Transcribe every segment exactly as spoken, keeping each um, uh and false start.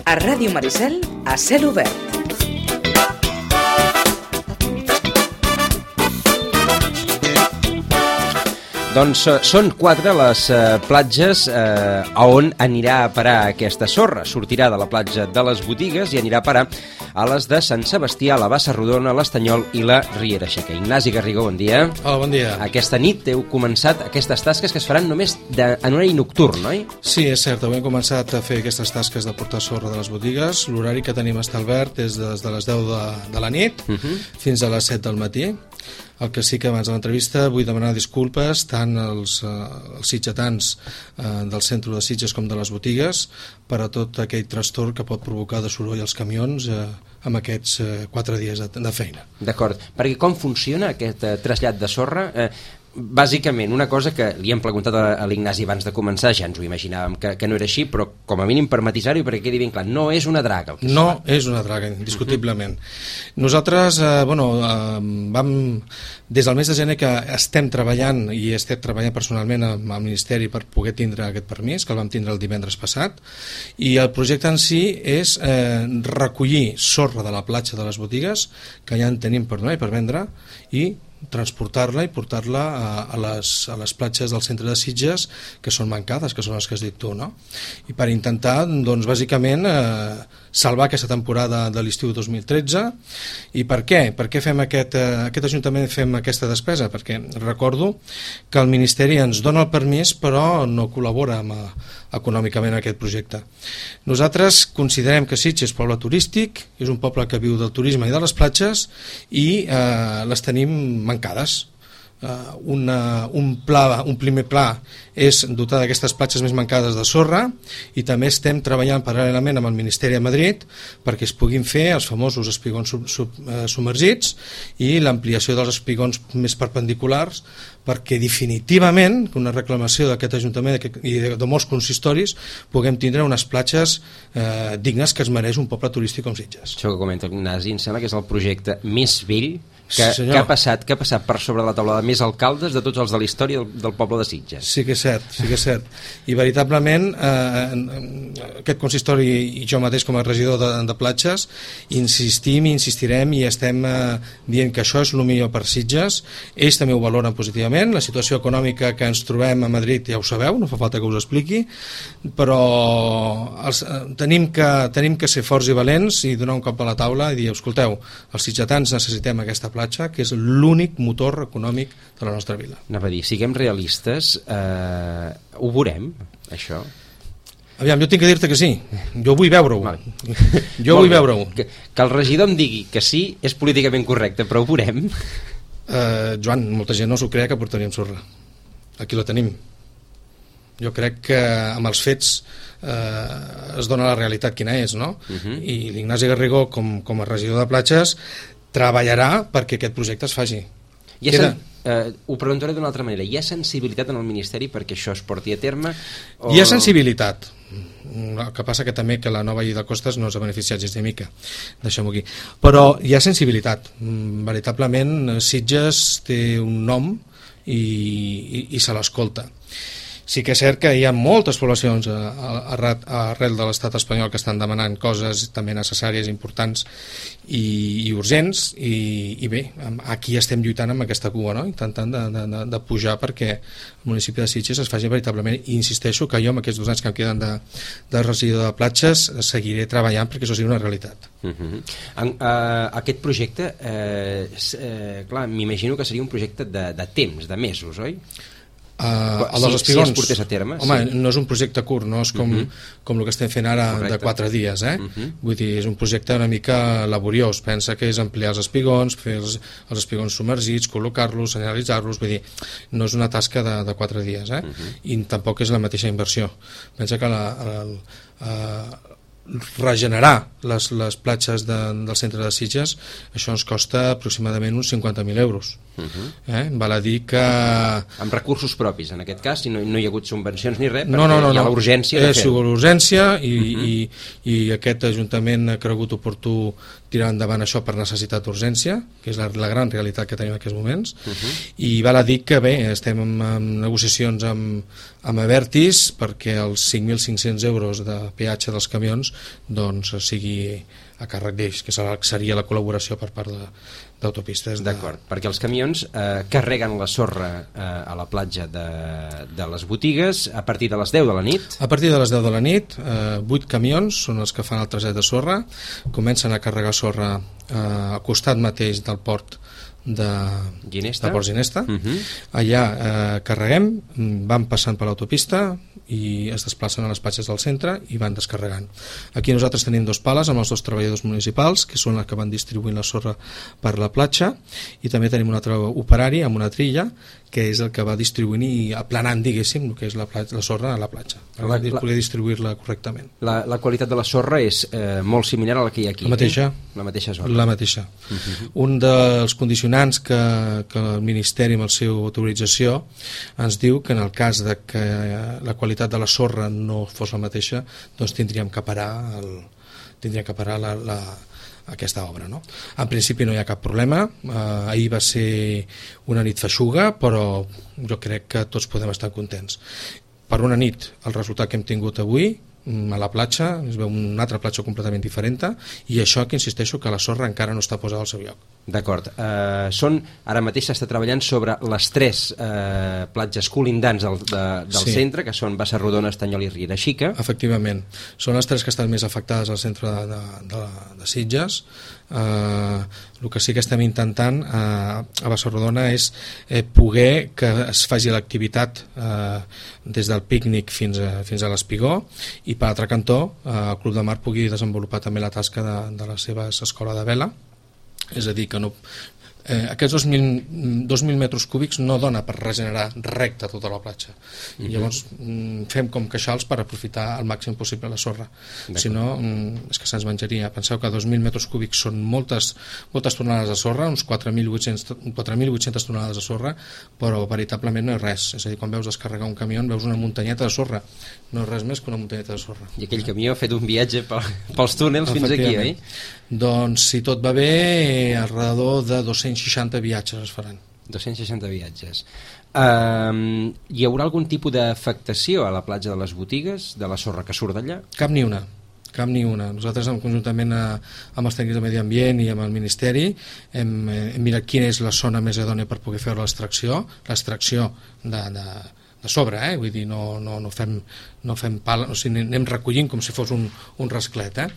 A Ràdio Maricel, a cel obert. Doncs eh, són quatre les eh, platges eh, a on anirà a parar aquesta sorra. Sortirà de la platja de les Botigues i anirà a parar a les de Sant Sebastià, la Bassa Rodona, l'Estanyol i la Riera Seca. Ignasi Garrigó, bon dia. Hola, bon dia. Aquesta nit heu començat aquestes tasques que es faran només de, en horari nocturn, oi? Sí, és cert, avui hem començat a fer aquestes tasques de portar sorra de les botigues. L'horari que tenim establert és des de les deu de, de la nit uh -huh. fins a les set del matí. El que sí que abans de l'entrevista vull demanar disculpes tant als, uh, als sitgetans uh, del centre de Sitges com de les botigues per a tot aquell trastorn que pot provocar de soroll als camions uh, amb aquests uh, quatre dies de, de feina. D'acord, perquè com funciona aquest uh, trasllat de sorra? Eh, Bàsicament, una cosa que li hem preguntat a l'Ignasi abans de començar, ja ens ho imaginàvem que, que no era així, però com a mínim per matisar-ho i perquè quedi ben clar, no és una draga. No és una draga, indiscutiblement. Uh-huh. Nosaltres, eh, bueno, eh, vam, des del mes de gener que estem treballant, i estem treballant personalment amb el Ministeri per poder tindre aquest permís, que el vam tindre el divendres passat, i el projecte en si és eh, recollir sorra de la platja de les botigues, que ja en tenim per donar i per vendre, i transportar-la i portar-la a, a, les, a les platges del centre de Sitges que són mancades, que són les que has dit tu, no? I per intentar, doncs, bàsicament eh, salvar aquesta temporada de l'estiu dos mil tretze. I per què? Per què fem aquest, eh, aquest Ajuntament fem aquesta despesa? Perquè recordo que el Ministeri ens dona el permís però no col·labora amb, econòmicament en aquest projecte. Nosaltres considerem que Sitges és poble turístic, és un poble que viu del turisme i de les platges i eh, les tenim mancades. Uh, una, un, pla, un primer pla és dotar d'aquestes platges més mancades de sorra i també estem treballant paral·lelament amb el Ministeri a Madrid perquè es puguin fer els famosos espigons sub, sub, uh, submergits i l'ampliació dels espigons més perpendiculars perquè definitivament una reclamació d'aquest Ajuntament i de, de molts consistoris puguem tindre unes platges eh, dignes que es mereix un poble turístic com Sitges. Això que comenta Ignasi em sembla que és el projecte més vell que, sí, que, ha passat, que ha passat per sobre la taula de més alcaldes de tots els de la història del, del poble de Sitges. Sí que és cert, sí que és cert. I veritablement eh, aquest consistori i jo mateix com a regidor de, de platges insistim i insistirem i estem eh, dient que això és el millor per Sitges. Ells també ho valoren positivament. La situació econòmica que ens trobem a Madrid ja ho sabeu, no fa falta que us expliqui, però els, eh, tenim, que, tenim que ser forts i valents i donar un cop a la taula i dir, escolteu, els sitgetans necessitem aquesta platja que és l'únic motor econòmic de la nostra vila. Anava a dir, siguem realistes, eh, ho veurem, això? Aviam, jo tinc que dir-te que sí, jo vull veure-ho. Vale. Jo vull veure-ho. Que, que el regidor em digui que sí és políticament correcte, però ho veurem. Uh, Joan, molta gent no s'ho crea que portaríem sorra. Aquí la tenim. Jo crec que amb els fets eh, es dona la realitat quina és, no? Uh-huh. I l'Ignasi Garrigó, com, com a regidor de platges, treballarà perquè aquest projecte es faci. I Queda... sen... eh, ho preguntaré d'una altra manera. Hi ha sensibilitat en el Ministeri perquè això es porti a terme? O... Hi ha sensibilitat. El que passa que també que la nova llei de costes no s'ha beneficiat gens de mica. Deixem-ho aquí. Però hi ha sensibilitat. Veritablement, Sitges té un nom i, i, i se l'escolta. Sí que és cert que hi ha moltes poblacions arrel de l'estat espanyol que estan demanant coses també necessàries, importants i, i urgents i, i bé, aquí estem lluitant amb aquesta cua, no? Intentant de, de, de pujar perquè el municipi de Sitges es faci veritablement, i insisteixo que jo amb aquests dos anys que em queden de, de regidor de platges seguiré treballant perquè això sigui una realitat. Uh-huh. en, uh, aquest projecte eh, eh, clar, m'imagino que seria un projecte de, de temps, de mesos, oi? Uh, el dels espigons, si es portés a terme, home, sí. No és un projecte curt, no és com, uh -huh. com el que estem fent ara. Correcte. De quatre dies, eh? Uh -huh. Vull dir, és un projecte una mica laboriós. Pensa que és ampliar els espigons, fer els, els espigons submergits, col·locar-los, senyalitzar-los, vull dir, no és una tasca de, de quatre dies, eh? Uh -huh. I tampoc és la mateixa inversió. Pensa que la, la, la, regenerar les, les platges de, del centre de Sitges, això ens costa aproximadament uns cinquanta mil euros. Uh-huh. eh? Val a dir que... Amb recursos propis, en aquest cas, i no, no hi ha hagut subvencions ni res, perquè no, no, no, hi ha no. l'urgència de fer-ho. És l'urgència i, uh-huh. i, i aquest Ajuntament ha cregut oportú tirar endavant això per necessitat d'urgència, que és la, la gran realitat que tenim en aquests moments, uh-huh. i val a dir que bé, estem en, en negociacions amb, amb Abertis perquè els cinc mil cinc-cents euros de peatge dels camions doncs sigui a càrrec d'ells, que seria la col·laboració per part de, d'autopistes. De... D'acord, perquè els camions eh, carreguen la sorra eh, a la platja de, de les botigues a partir de les deu de la nit? A partir de les deu de la nit, eh, vuit camions són els que fan el traset de sorra, comencen a carregar sorra eh, al costat mateix del port de Ginesta, de Port Ginesta. Uh-huh. Allà eh, carreguem, van passant per l'autopista i es desplacen a les platges del centre i van descarregant. Aquí nosaltres tenim dos pales amb els dos treballadors municipals, que són els que van distribuint la sorra per la platja, i també tenim un altre operari amb una trilla, que és el que va distribuint i aplanant, diguéssim, el que és la, platja, la sorra a la platja, per la, la, poder distribuir-la correctament. La, la qualitat de la sorra és eh, molt similar a la que hi ha aquí. La mateixa. Eh? La mateixa sorra. La mateixa. Uh-huh. Un dels condicionants que, que el Ministeri, amb la seva autorització, ens diu que en el cas de que la qualitat de la sorra no fos la mateixa, doncs tindríem que parar, el, tindríem que parar la, la, aquesta obra, no? En principi no hi ha cap problema, eh, ahir va ser una nit feixuga, però jo crec que tots podem estar contents. Per una nit, el resultat que hem tingut avui a la platja, es veu una altra platja completament diferent, i això que insisteixo que la sorra encara no està posada al seu lloc. D'acord. Uh, són, ara mateix s'està treballant sobre les tres uh, platges colindants del, de, del sí. centre, que són Bassarrodona, Estanyol i Riera Xica. Efectivament. Són les tres que estan més afectades al centre de, de, de, de Sitges. Uh, el que sí que estem intentant uh, a Bassarrodona és eh, poder que es faci l'activitat uh, des del pícnic fins a, fins a l'Espigó, i per altre cantó uh, el Club de Mar pugui desenvolupar també la tasca de, de la seva escola de vela. És a dir, que no, eh, aquests dos mil metres cúbics no dona per regenerar recta tota la platja. Uh-huh. Llavors mm, fem com queixals per aprofitar al màxim possible la sorra. Si no, mm, és que se'ns menjaria. Penseu que dos mil metres cúbics són moltes, moltes tonelades de sorra, uns quatre mil vuit-centes tonelades de sorra, però veritablement no és res. És a dir, quan veus descarregar un camió veus una muntanyeta de sorra, no és res més que una muntanyeta de sorra. I aquell camió ha fet un viatge pel, pels túnels fins aquí, oi? Doncs si tot va bé, alrededor de dos-cents seixanta viatges es faran. dos-cents seixanta viatges. Uh, hi haurà algun tipus d'afectació a la platja de les botigues, de la sorra que surt d'allà? Cap ni una. Cap ni una. Nosaltres, conjuntament a, amb els tècnics de Medi Ambient i amb el Ministeri, hem, hem mirat quina és la zona més idònia per poder fer l'extracció, l'extracció de, de, de sobre, eh? Vull dir, no, no, no fem, no fem pal, o sigui, anem recollint com si fos un, un rasclet, eh?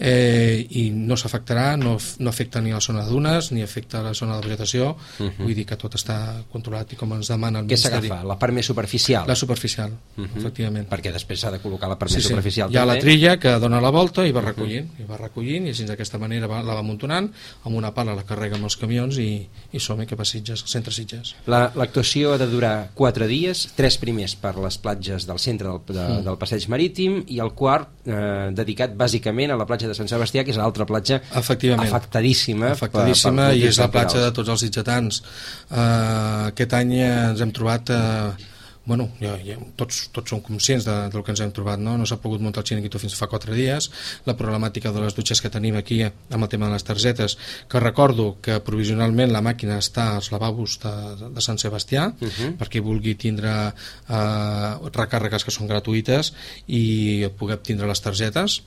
Eh, i no s'afectarà, no, no afecta ni la zona de dunes, ni afecta la zona de vegetació, uh-huh. Vull dir que tot està controlat i com ens demana el Què Ministeri. Què s'agafa? La part més superficial? La superficial, uh-huh. Efectivament. Perquè després s'ha de col·locar la part sí, més sí. superficial. Hi ha també. La trilla que dona la volta i va recollint, uh-huh. i va recollint, i així d'aquesta manera va, la va amuntonant, amb una pala la carrega amb els camions i, i som-hi cap a Sitges, al centre Sitges. La, l'actuació ha de durar quatre dies, tres primers per les platges del centre del, de, mm. del passeig marítim, i el quart eh, dedicat bàsicament a la platja de Sant Sebastià, que és l'altra platja afectadíssima, afectadíssima per, per i és la platja de tots els sitgetans. Uh, aquest any ens hem trobat uh, bueno, ja, ja, tots, tots som conscients de, del que ens hem trobat, no? No s'ha pogut muntar el xiringuito fins fa quatre dies, la problemàtica de les dutxes que tenim aquí amb el tema de les targetes, que recordo que provisionalment la màquina està als lavabos de, de Sant Sebastià, uh-huh. perquè vulgui tindre eh, recàrregues que són gratuïtes i poder tindre les targetes.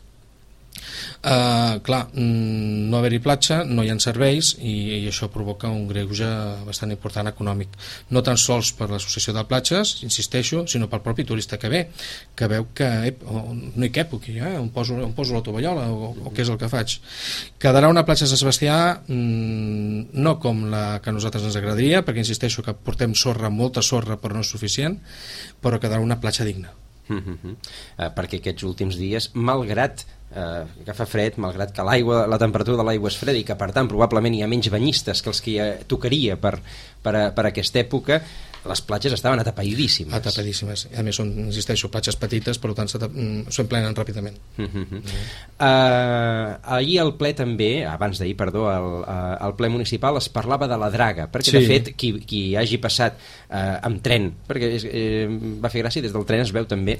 Uh, clar, no haver-hi platja, no hi ha serveis i, i això provoca un greuge bastant important econòmic, no tan sols per l'associació de platges, insisteixo, sinó pel propi turista que ve, que veu que ep, no hi cap aquí, eh? on, poso, on poso la tovallola o, o què és el que faig. Quedarà una platja de Sant Sebastià mm, no com la que a nosaltres ens agradaria, perquè insisteixo que portem sorra, molta sorra, però no és suficient, però quedarà una platja digna. Uh-huh. Uh, perquè aquests últims dies, malgrat eh, que fa fred, malgrat que l'aigua, la temperatura de l'aigua és freda i que per tant probablement hi ha menys banyistes que els que hi ha, tocaria per, per, a, per aquesta època, les platges estaven atapeïdíssimes. Atapeïdíssimes. A més, són, insisteixo, platges petites, per tant s'emplenen ràpidament. Uh -huh. uh -huh. Uh, ahir al ple també, abans d'ahir, perdó, al, uh, al ple municipal es parlava de la draga, perquè sí. de fet qui, qui hagi passat uh, amb tren, perquè és, eh, va fer gràcia, des del tren es veu també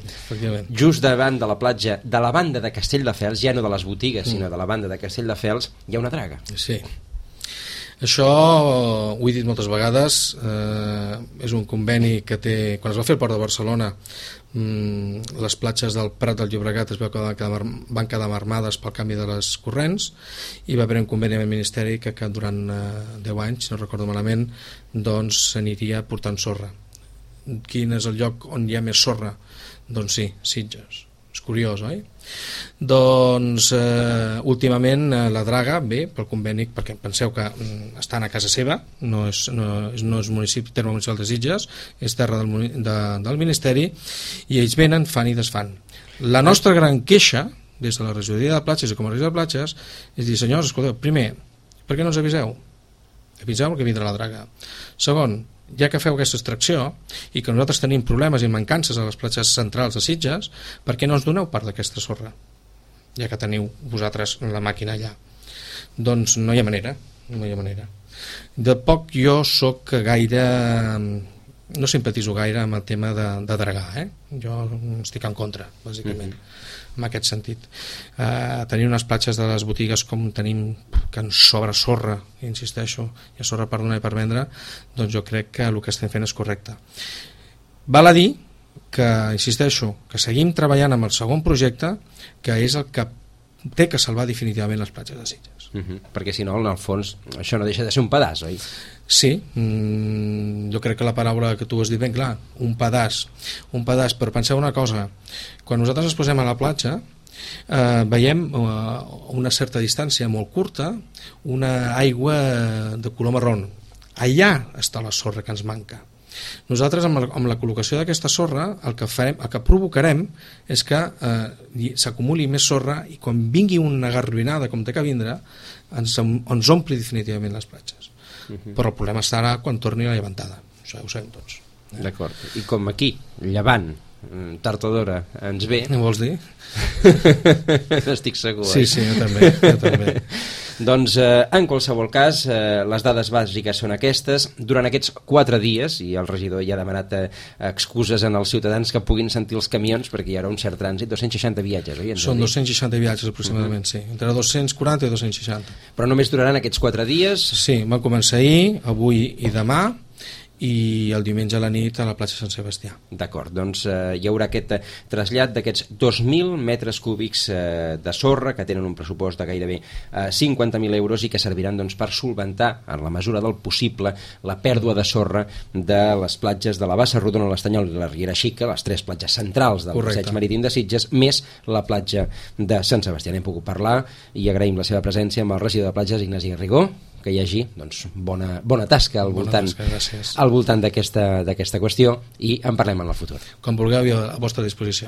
just davant de la platja, de la banda de Castelldefels, ja no de les botigues, mm. sinó de la banda de Castelldefels, hi ha una draga. Sí. Això, ho he dit moltes vegades, eh, és un conveni que té... Quan es va fer el Port de Barcelona, mmm, les platges del Prat del Llobregat es veu que van quedar, van quedar armades pel canvi de les corrents, i va haver un conveni amb el Ministeri que, que durant eh, deu anys, si no recordo malament, doncs s'aniria portant sorra. Quin és el lloc on hi ha més sorra? Doncs sí, Sitges. És curiós, oi? Doncs eh, últimament eh, la draga ve pel conveni, perquè penseu que mm, estan a casa seva, no és, no, no és municipi, terme municipal de Sitges, és terra del, de, del Ministeri, i ells venen, fan i desfan. La nostra gran queixa des de la regidoria de platges i com a regidoria de platges és dir, senyors, escolteu, primer, per què no ens aviseu? Aviseu que vindrà la draga. Segon, ja que feu aquesta extracció i que nosaltres tenim problemes i mancances a les platges centrals de Sitges, per què no ens doneu part d'aquesta sorra? Ja que teniu vosaltres la màquina allà. Doncs no hi ha manera, no hi ha manera. De poc jo sóc gaire... no simpatizo gaire amb el tema de, de dragar, eh? Jo estic en contra, bàsicament. Mm-hmm. En aquest sentit. Uh, tenir unes platges de les botigues com tenim, que ens sobra sorra, insisteixo, hi ha sorra per donar i per vendre, doncs jo crec que el que estem fent és correcte. Val a dir que, insisteixo, que seguim treballant amb el segon projecte, que és el que té que salvar definitivament les platges de Sitges. Uh-huh. Perquè si no, en el fons, això no deixa de ser un pedaç, oi? Sí, mm, jo crec que la paraula que tu has dit ben clar, un pedaç, un pedaç, però penseu una cosa, quan nosaltres ens posem a la platja, eh, veiem a una certa distància molt curta una aigua de color marró. Allà està la sorra que ens manca. Nosaltres amb, el, amb la col·locació d'aquesta sorra el que, farem, el que provocarem és que eh, s'acumuli més sorra i quan vingui una garruinada com té que vindre ens, ens ompli definitivament les platges. Uh-huh. Però el problema estarà quan torni la llevantada, això ho sabem tots. Eh? D'acord, i com aquí, llevant, tard o d'hora ens ve... Què vols dir? Estic segur. Sí, sí, jo també, jo també. Doncs eh, en qualsevol cas eh, les dades bàsiques són aquestes. Durant aquests quatre dies, i el regidor ja ha demanat eh, excuses en els ciutadans que puguin sentir els camions perquè hi haurà un cert trànsit, dos-cents seixanta viatges, oi? Són dos-cents seixanta viatges aproximadament, uh-huh. Sí, entre dos-cents quaranta i dos-cents seixanta. Però només duraran aquests quatre dies? Sí, van començar ahir, avui i demà, i el diumenge a la nit a la platja Sant Sebastià. D'acord, doncs eh, hi haurà aquest eh, trasllat d'aquests dos mil metres cúbics eh, de sorra que tenen un pressupost de gairebé eh, cinquanta mil euros i que serviran doncs, per solventar, en la mesura del possible, la pèrdua de sorra de les platges de la Bassa Rodona, l'Estanyol i la Riera Xica, les tres platges centrals del Correcte. passeig marítim de Sitges, més la platja de Sant Sebastià. N'hem pogut parlar i agraïm la seva presència amb el regidor de platges, Ignasi Garrigó, que hi hagi doncs, bona, bona tasca al bona voltant, tasca, al voltant d'aquesta d'aquesta qüestió i en parlem en el futur. Com vulgueu, a vostra disposició.